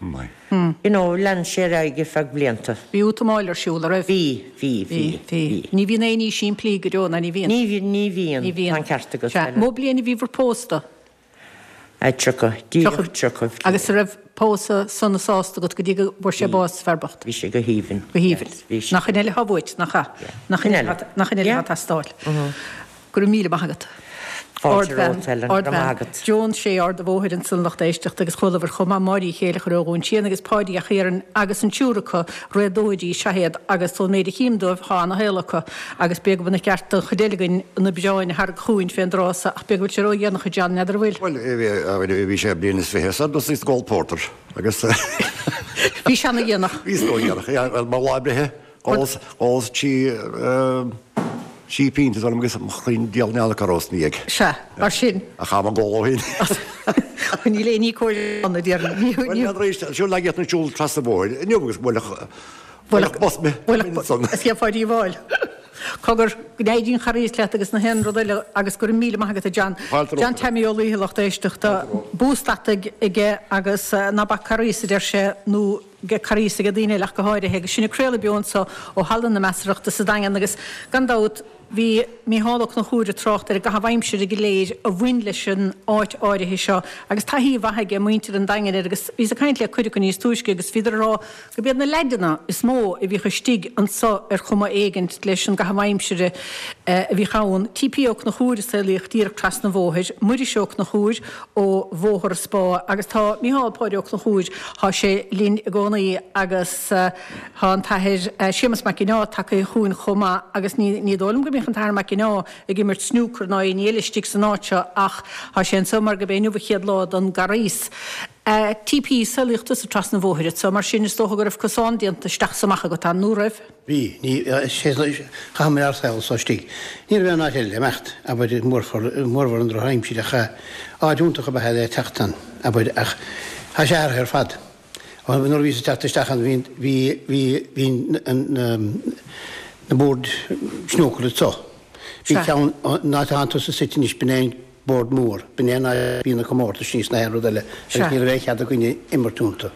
You know, lean sé ar aghaidh ar feadh blianta. Bhí útamáil ar siúl, a raibh? Bhí, bhí, bhí, bhí. Ní bhíonn aon ní simplí go deo, ná ní bhíonn. Ní bhíonn, ní bhíonn. Ní bhíonn. Tá an ceart agat. Sea, mó bliain a bhí bhur pósta? A tríocha, díreach tríocha. Agus a raibh pósadh sona sásta agat go dtí go bhfuair sé bás, fear bocht? Bhí sé go haoibhinn. Go haoibhinn. Nach in eile atá uait, nach ea? Nach in eile, nach in eile atá ag teastáil. Go raibh míle maith agat. Fáilte romhat, Helen, go raibh maith agat. Joan Sé Ard an Bhóthair ansan lucht éisteachta agus chualabhair chomh maith Máirí Chéileachair ó Dhún tSian agus Páidí 'Ac Iarainn agus an triúr acu réadóirí is ea iad agus ón méid a chím dóibh thá ana-shaol acu agus b'fhéidir go mba cheart don chuid eile againn na oibreáin a tharraingt chugainn fén dtráth so ach b'fhéidir go bhfuil sé ró-dhéanach a John, n'fheadar an bhfuil? Bhuel, bhí sé bliain is fiche so thosaíos ag ól pórtair agus Bhí sé ana-dhéanach. Bhíos ró-dhéanach, yeah, bhuel mo lá breithe, ós, ós trí, trí pionta is agus mo chroí diabhal n'fheadar cá rabhas ina dhiaidh. Sea, mar sin. Ach táim ag ól ó shin. Níl aon ní cóir ann, a déarfainn. Bhuel, n'fheadar arís, siúl lag iad an siúl trasna an bhóthair inniu agus bhuailfeadh, bhuailfeadh bus mé. Bhuailfeadh bus, is cén fáth díobháil. Cogar, go n-éirí an Carghas leat agus na haon rud eile agus go raibh míle maith agat a John. Fáilte romhat. John Taimí Ó Laoithe lucht éisteachta. Bús deataigh aige agus ná bac Carghas a deir sé nó Carghas aige daoine eile ach go háirithe agus sinn ag craoladh beo anseo ó Halla na Measarthachta sa Daingean agus gan dabht bhí Mícheál Ó Conchúir ag trácht ar an gcaitheamh aimsire go léir a bhain leis an áit áirithe seo agus taithí mhaith aige muintir an Daingin air agus bhíos ag caint le cuid acu níos túisce agus bhíodar ag rá gurb iad na leaideanna is mó a bhíodh istigh anseo ar chuma éigint leis an gcaitheamh aimsire a bhíodh ann. T.P. Ó Conchúir a saolaíodh díreach trasna an bhóthair, Muiris Ó Conchúir ó Bhóthar an Spá agus tá Mícheál Páidí Ó Conchúir, thá sé linn i gcónaí agus thá an tAthair Séamus Mac Ginneá tagtha chugainn chomh maith agus ní ní dóigh liom go mbíodh an tAthair Mac Ginneá ag imirt snúcar ná aon ní eile istigh san áit seo ach thá sé anseo mar gurb é inniu an chéad lá don gCarghas. TP, Saolaíodh tusa trasna an bhóthair anseo, mar sin is dócha go raibh cosán déanta isteach 's amach agat ann, nó raibh? Bhí. Ní, chaitheamar ár saol anso istigh. Ní raibh aon áit eile le imeacht, abair, mórmhór an drochaimsir ach áit iontach ab ea é le teacht ann, abair, ach tá sé athraithe ar fad. Nuair a bhíos ag teacht isteach ann bhí, bhí, bhí, bhí na boird snúcair anso. Bhí ceann, an áit atánn tusa suite anois, b'in é an bord mór, b'in é an áit a bhí na comórtais is na haon rud eile agus ní raibh aon chead againne imirt iontu.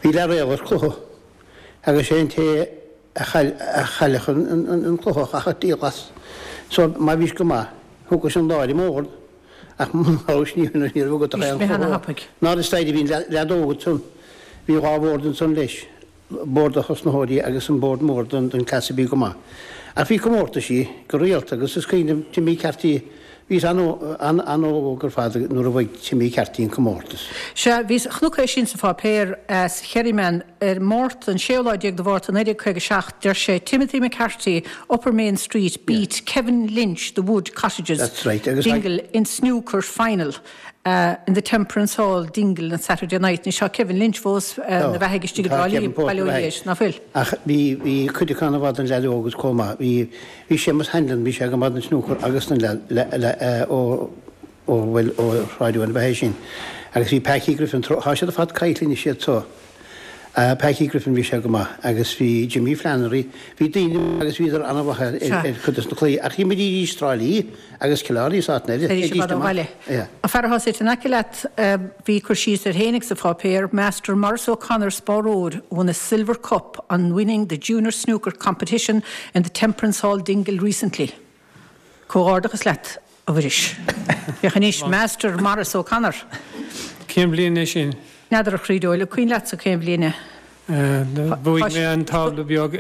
Bhí leathréal ar chluiche agus sé an té a chaillfeadh an cluiche a chaithfeadh díol as. So má bhís go maith, thugais an lá ar an mbord ach muna rabhais ní raibh agat ach aon chluiche. Ná is staighre bhí an leaid óg ansan, bhí dhá bhord ansan leis. bord do thosnaitheoirí agus an bord mór don cleas a bhí go maith. Ach bhí comórtaisí go rialta agus is cuimhin liom Timmy Carty, bhíos an-óg ar fad nuair a bhuaigh Timmy Carty an comórtas. Sea, bhíos, chonac é sin sa pháipéar, sa Kerryman, ar Márta, an séú lá déag de Mhárta naoi déag caoga a seacht, deir sé, Timothy McCarthy, Upper Main Street, beat Kevin Lynch, The Wood Cottages, That's right, agus Dingle, in snooker final. In the Temperance Hall, Dingle on Saturday night. Anois tá Kevin Lynch fós ina bheathaidh istigh i dTrá Lí, bail ó Dhia air, ná fuil? Ach bhí, bhí cuid acu an-mhaith don leaid óg agus chomh maith. Bhí, bhí Séamus Hanlon, bhí sé go maith don snúcar agus don leaid, le, le, ó, ó, bhuel, ó Shráid Eoin ab ea é sin. Agus bhí Packie Griffin, tá siad ar fad caillte anois iad so. Packie Griffin, bhí sé go maith agus bhí Jimmy Flannery, bhí daoine agus bhíodar an-mhaith ar ar chuid des na cluichí ach d'imrídís Trá Lí agus Cill Airne is áiteanna eile. Théidís i bhfad ó bhaile. An fear atá suite in aice leat, bhí cur síos air fhéinig sa pháipéar, Master Maurice O'Connor Spáróir won a silver cup on winning the junior snooker competition in the Temperance Hall Dingle recently. Comhghairdeachas leat, a Mhuiris. Féach anois, Master Maurice O'Connor. Cén bhliain é sin? N'fheadar a chroí dóil, an cuimhin leatsa cén bhliain é? Bhuaigh mé an tábla beag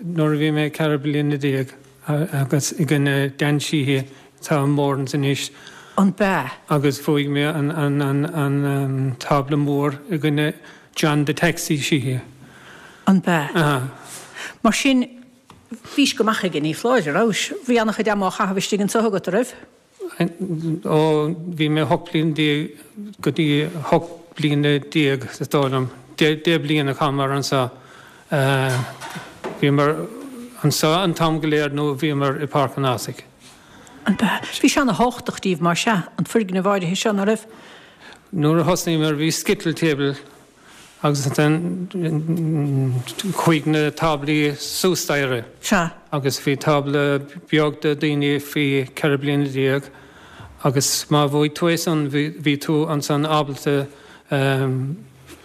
nuair a bhí mé ceithre bliana déag agus i gcoinne Dan Sheehy atá i Moran's anois. An b'ea? Agus bhuaigh mé an tábla mór i gcoinne John the Taxi Sheehy. An b'ea? Aha. Mar sin, bhís go maith aige, ní foláir, a rabhais? Bhí an-chuid ama á chaitheamh istigh anseo agat, a raibh? Ó bhí mé hocht bliana déag go dtí hocht bliana déag is dóigh liom, deich bliana a chaitheamar anseo. Bhíomar anseo an t-am go léir nó bhíomar i Páirc an Ághasaigh. An b'ea? Bhí sé ana-thábhachtach díbh mar sea, an foirgneamh áirithe seo, ná raibh? Nuair a thosnaíomar bhí skittle table Agus ansin chuaigh na táblaí suas staighre. Sea. Agus bhí tábla beag do daoine faoi ceithre bliana déag agus má bhuaigh tú é san bhí tú ansan ábalta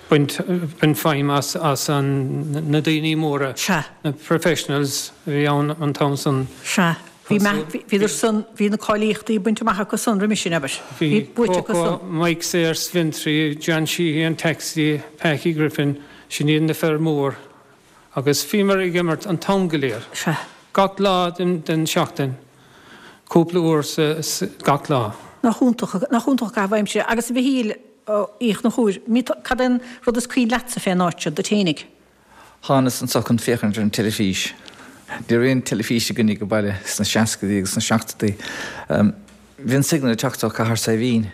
baint baint feidhm as as an na daoine móra. Sea. Na professionals a bhí ann an t-am san. Sea. Bhí bhíodar san, bhí na cáilíochtaí bainte amach acu san roimis sin, abair. Bhí buaite acu san. Coco, Mike Sayers, Fintry, John Sheehy, an Taxi, Packie Griffin, sin iad na fir mór. Agus bhíomar ag imirt an t-am go léir. Sea. Gach lá den, den seachtain. cúpla uair sa, sa, gach lá. Nach iontach, nach iontach caitheamh aimsire. Agus a Mhichíl Uí Chonchúir, cad é an rud is cuimhin leatsa fén áit seo, duit fhéinig? Thánas anso chun féachaint ar an teilifís. Ní raibh aon teilifís againn ag baile sna seascaidí agus sna seachtóidí. Bhí an signal ag teacht ó Cathair Saidhbhín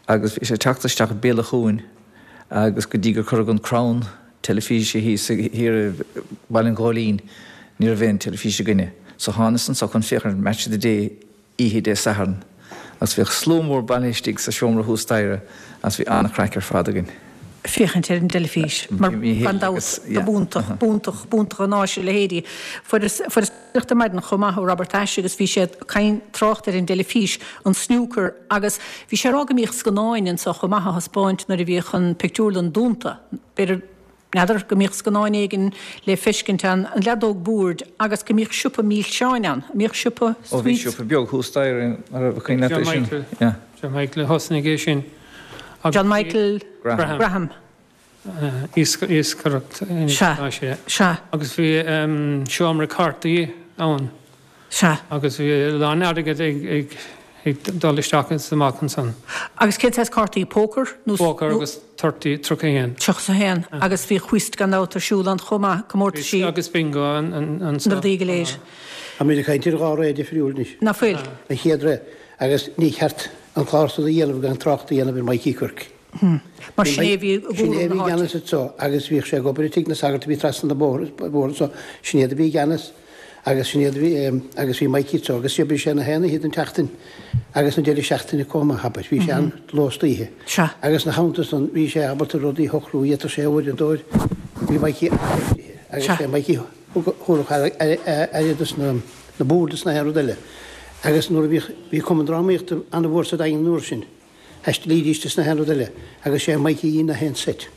agus bhí sé ag teacht isteach béal an chuain agus go dtí gur cuireadh an crann teilifíse thíos thiar i Baile an Ghóilín ní raibh aon teilifís againne. So thánas anso chun féachaint ar Match of the Day oíche Dé Sathairn agus bhíodh slua mór bailithe istigh sa seomra thuas staighre agus bhí an-chraic ar fad againn. féachaint ar an dteilifís mar gan dabht ba b'iontach, b'iontach, b'iontach an áis a leithéidí. Fuaireas, fuaireas teachtaireacht ar maidin chomh maith ó Robert Ashe agus bhí sé ag caint, trácht ar an dteilifís, an snooker agus bhí sé ag rá go mbíodh scannáin anso chomh maith á thaispeáint nuair a bhíodh an pictiúrlann dúnta. B'fhéidir, n'fheadar, go mbíodh scannáin éigin le feiscint ann, an leadóg boird agus go mbíodh siopa milseáin ann, an mbíodh siopa Ó bhí sweets? siopa beag thuas staighre, an raibh cuimhne leat John é sin? Michael, Yeah. John Michael a thosnaigh é sin. John Michael Graham. Graham. Iascaireacht Sea. Sea. Agus bhí seomra cártaí ann. Sea. Agus bhí a lán airgid ag ag dul isteach is amach ansan. Agus cén saghas cártaí? Pócar nó? Pócar agus thirty, tríocha a haon. Tríocha a haon. Agus bhí whist gan dabht ar siúl ann chomh maith, comórtaisí. Agus bingo ansan. Na rudaí go léir. Táimid ag caint ar dhá ré difriúil anois. Ná fuil? An chéad ré. Agus ní ceart an clár so a dhéanamh gan trácht a dhéanamh ar Mikey Quirke. Mar sin é a bhí i Sin é a gcúram bhí na i háite. gceannas anso agus bhíodh sé ag obair i dtigh na sagart a bhí trasna na bóthar anso. Sin iad a bhí i gceannas agus sin iad a bhí, agus bhí Mikey anso agus d'oibrigh sé na haon oíche den tseachtain agus na deireadh seachtaine chomh maith, abair. Bhí sé ann ló is oíche. Sea. Agus na theannta san bhí sé ábalta rudaí a shocrú, d'fhéadfadh sé uaireadóir, bhí Mikey an-oibrithe agus Sea. sé Mikey thabharfadh aire dos na boird is na haon rud eile. Agus nuair a bhíodh, bhí cumann drámaíochta an-mhór sa Daingean an uair sin, thaistilídís is na haon rud eile, agus sé Mikey a dhein na haon seit.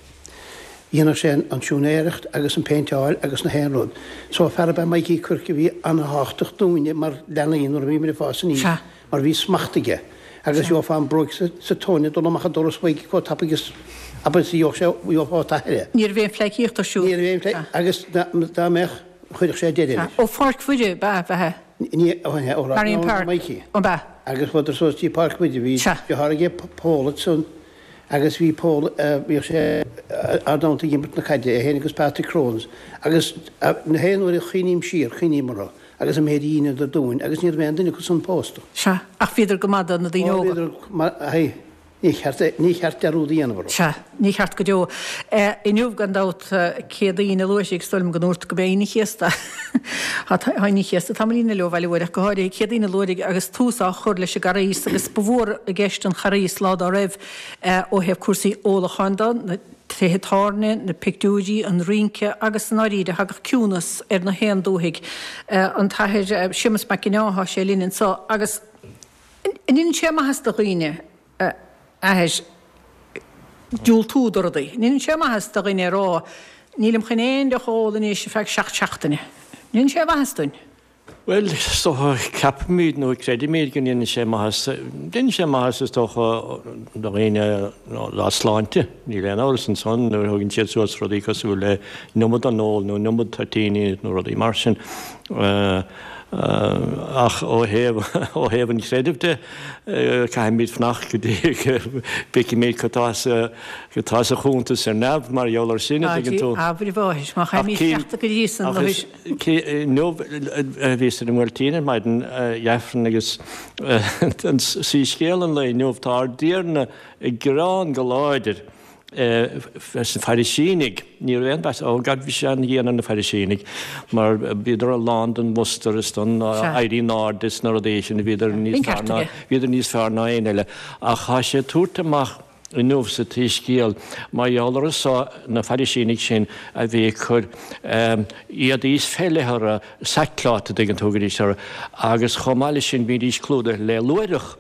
Dhéanadh sé an siúinéireacht agus an péinteáil agus na haon rud. So fear ab ea Mikey Quirke a bhí an-thábhachtach dúinne mar leanaí nuair a bhíomar ag fás aníos, Sea. mar bhí smacht aige. Agus gheofá an bróig sa tóin ag dul amach an doras uaidh chomh tapaidh is abair is a gheobhadh sé, gheofá t'athair é. Ní raibh aon phleidhcíocht ar siúl. Ní raibh aon phleidhcíocht, agus dá mbeadh, chuirfeadh sé deireadh leis. Ó Pháirc Mhuire, ab ea, bheatha? Ní, ó, ó, Marion Park. Mikey. An b'ea? Agus chuadar suas dtí Páirc Mhuire, bhí deartháir aige Pól ansan agus bhí Pól, bhíodh sé ár dteannta ag imirt na caide, é féin agus Patrick Crones, agus na haon uair a chuimhním siar, cuimhním orthu agus an méid a dheineadar dúinn agus ní raibh aon duine acu san pósta. Sea, ach bhíodar go maith do na daoine Ó, óga. bhíodar, mar, hei. Ní cheart, ní cheart dearúd a dhéanamh orthu. Sea, ní cheart go deo. Inniu, gan dabht, Céadaoin a luaithe, is dóigh liom go ndúirt go b'é Aoine an Chéasta. Tá Aoine an Chéasta tamaillín eile ó bhaile uair, ach go háirithe Céadaoin a luaithe agus tús á chur leis an gCarghas agus ba mhór i gceist an Charghas lá dá raibh ó thaobh cúrsaí ólacháin de, na tithe tábhairne, na pictiúirí, an rince agus i ndáiríre thagadh ciúnas ar na haon dúthaigh. An tAthair Séamus Mac Con Ádha, tá sé linn anseo agus an ndéanann sé maitheas do dhaoine? a Athair, diúltú do rudaí. An ndéanann sé maitheas do dhuine a rá, Nílim chun aon deoch a ól anois ar feadh seacht seachtaine. An ndéanann sé maitheas dúinn? Bhuel, is dócha, ceapaimid nó creidimid go ndéanann sé maitheas. Déanann sé maitheas, is dócha, do dhaoine dá sláinte. Níl aon amhras ansan nuair a thugann siad suas rudaí cosúil le an iomad den ól nó an iomad toitíní nó rudaí mar sin. Ach ó thaobh ó thaobh an chreidimh de, caithfimid fanacht go dtí go bhfeicfimid cad tá sa cad tá sa chuntas ar neamh mar gheall air sin, an dtuigeann tú. Abair a mháthair, má Ach chaithfimid cím cleachtadh go dtí san, ach nó is inniu bhíos ar an mBuailtín ar maidin, Aifreann agus an soiscéal an lae inniu, tá ár dTiarna ag gearán go láidir. Leis na Fairisínigh, ní raibh aon mheas, ó gad bhí sé an-dhian ar na Fairisínigh mar bhíodar lán den mhustar is den éirí in airde is na rudaí sin, bhíodar níos fearr ná, bhíodar níos fearr ná aon eile. Ach tá sé ag tabhairt amach inniu sa tSoiscéal mar gheall orthu so, na Fairisínigh sin a bhí ag cur éadaí is féile orthu, sackcloth a dtuigeann tú, thugaidís orthu, agus chomh maith leis sin bhídís clúdaithe le luaithreach.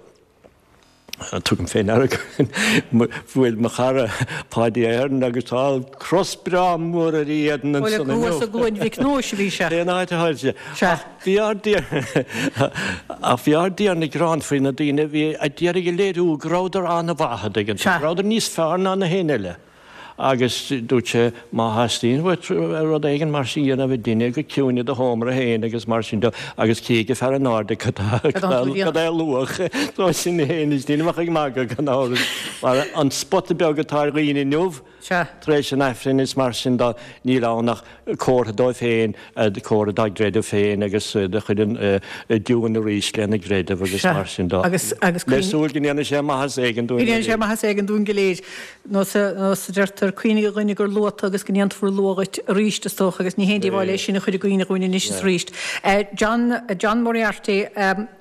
Tugaim fé ndeara go bhfuil mo chara Páidí Ahern agus tá cros breá mór ar a éadan Bhuel, ansan inniu. thuas i gCluain Mhic Nóis a bhí sé. Cén áit a tháinig sé? Sea. Ach bhí ár dTiarna, ach bhí ár dTiarna ag gearán faoi na daoine a bhí a d'iarraidh a léiriú go rabhadar an-mhaith, an dtuigeann tú, Sea. go rabhadar níos fearr ná na héinne eile. Agus dúirt sé, má theastaíonn uait rud éigin mar sin a dhéanamh, déan go ciúin i do sheomra féin agus mar sin de, agus cífidh fear in airde cad é a luach. So sin féin, is daoine a bheadh ag magadh gan amhras, mar an spota beag atá ar dhaoine inniu, tar éis an Aifrinn is mar sin de, níl ann ach comhartha dóibh féin, comhartha dá gcreideamh féin agus do chuid an diúin arís lena gcreideamh agus mar sin de. Le súil go ndéanfaidh sé maitheas éigin dúinn go léir. Go ndéanfaidh sé maitheas éigin dúinn go léir. Nós a deirtear, cuimhnigh a dhuine gur luath tú agus go ndéanfar luath dhuit arís, is dócha, agus ní haon díobháil é sin a chur i gcuimhne dhúinn anois is arís. John, John Moriarty,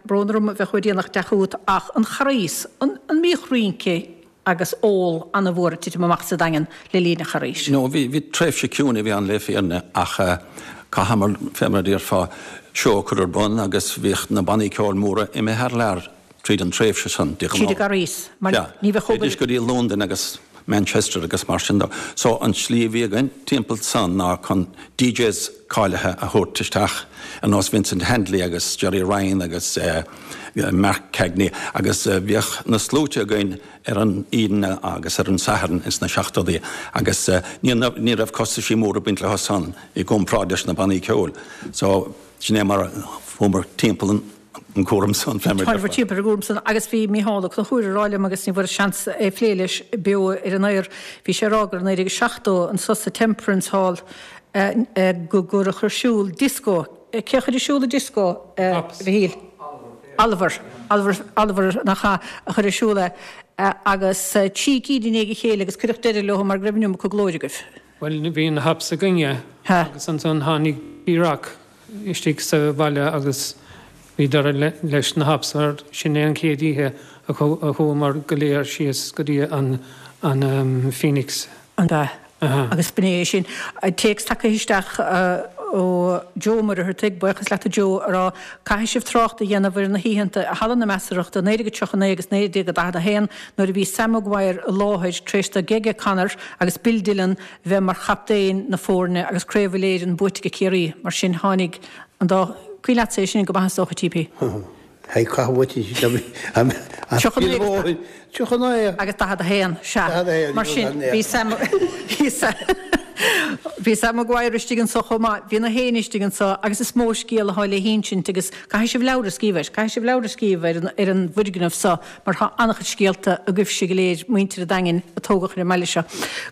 brón orm a bheith chomh déanach ag teacht chugat, ach an Charghas, an mbíodh rince agus ól an-mhór ag titim amach sa Daingean le linn an Charghais? No, bhí, bhí tréimhse ciúin a bhí ann le fírinne ach chaitheamar, fé mar a déarfá, seó a chur ar bun agus bhíodh na bannaí ceoil móra imithe thar lear tríd an tréimhse san, de ghnáth. Tríd an gCarghas, mar ní bheadh obair. Théidís go dtí Londain agus Manchester agus mar sin de. So an tslí a bhí againn timpeall san ná chun DJs cáilithe a thabhairt isteach, ar nós Vincent Handley agus Gerry Ryan agus Mark Cagney agus bhíodh na sluaite againn ar an Aoine agus ar an Satharn ins na seachtóidí agus ní raibh costaisí móra ag baint leo san i gcomparáid leis na bannaí ceoil. So sin é mar a fuamar timpeall an an cúram san fé mar a déarfá. Timpeall ar an gcúram san agus bhí Mícheál Ó Conchúir ag rá liom agus ní bhfuaireas seans é a phlé leis beo ar an aer, bhí sé ag rá gur i naoi déag seachtó anso sa Temperance Hall go gcuireadh ar siúl dioscó. Cé a chuir ar siúl an dioscó, a Mhichíl? Oliver. Oliver, Oliver nach ea, a chuir ar siúl é agus trí cinn i ndiaidh a chéile agus cuireadh deireadh leo mar go raibh an iomarca glóir agaibh. Bhuel, bhí na Hops againne agus ansan tháinig B-Rock istigh sa bhaile agus bhí deireadh leis na Hops mar sin é an chéad oíche a chuamar go léir síos go dtí an Phoenix. An ea? Agus b'in é sin. Téacs tagtha isteach ó Joe Ó Muircheartaigh, buíochas leat a Joe, a rá, Caithfidh sibh trácht a dhéanamh ar na hoícheanta i Halla na Measarthachta naoi déag tríocha naoi agus naoi déag daichead a haon nuair a bhí Sam Maguire i láthair tar éis do Gege Connor agus Bill Dillon bheith mar chaptaein na foirne agus Craobh Uile-Éireann buaite ag Ciarraí. Mar sin tháinig an dá Cuimhin leatsa é sin go maith is dócha, T.P. Hei, caith uait í. Tríocha naoi agus daichead a haon, sea. Mar sin, bhí Sam, bhí Sam, bhí Sam Maguire istigh anso chomh maith, bhí na héinne istigh anso agus is mó scéal atá le hinsint agus caithfidh sibh leabhar a scríobh air, caithfidh sibh leabhar a scríobh ar an, ar an bhfoirgneamh so mar tá an-chuid scéalta agaibhse go léir, muintir an Daingin a tógadh ar an mbaile seo.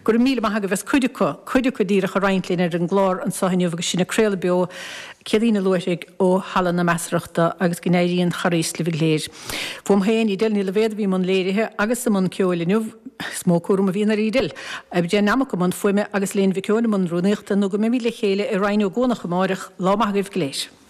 Go raibh míle maith agaibh as cuid acu, cuid acu díreach a roinnt linn ar an gclár anso inniu agus sinn ag craoladh beo Céadaoin Luaithrigh ó Halla na Measarthachta agus go n-éirí an Charghas libh go léir. Fúm féin, Edel Ní Loibhéad a bhí i mbun léirithe agus i mbun ceoil inniu, is mó cúram a bhíonn ar Edel. Jane Nammock i mbun fuaime agus Léan Mhic Eoin i mbun rúnaíochta nó go mbeimid le chéile i Rinn Ó gCuanach amáireach, lá maith agaibh go léir.